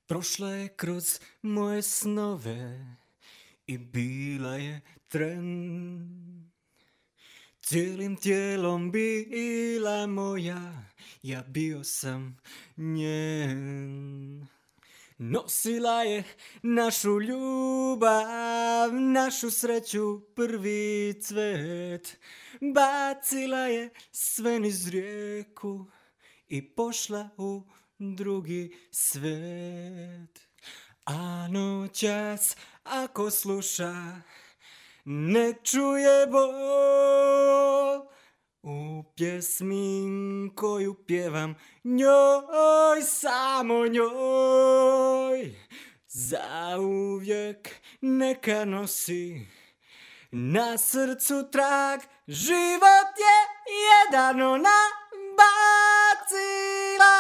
Prošla je kroz moje snove i bila je tren. Cijelim tijelom bila moja, ja bio sam njen. Nosila je našu ljubav, našu sreću, prvi cvet. Bacila je sve niz rijeku i pošla u drugi svet. A noćas ako sluša, ne čuje bol u pjesmi koju pjevam njoj, samo njoj. Zauvijek neka nosi na srcu trag, život je jedan, ona bacila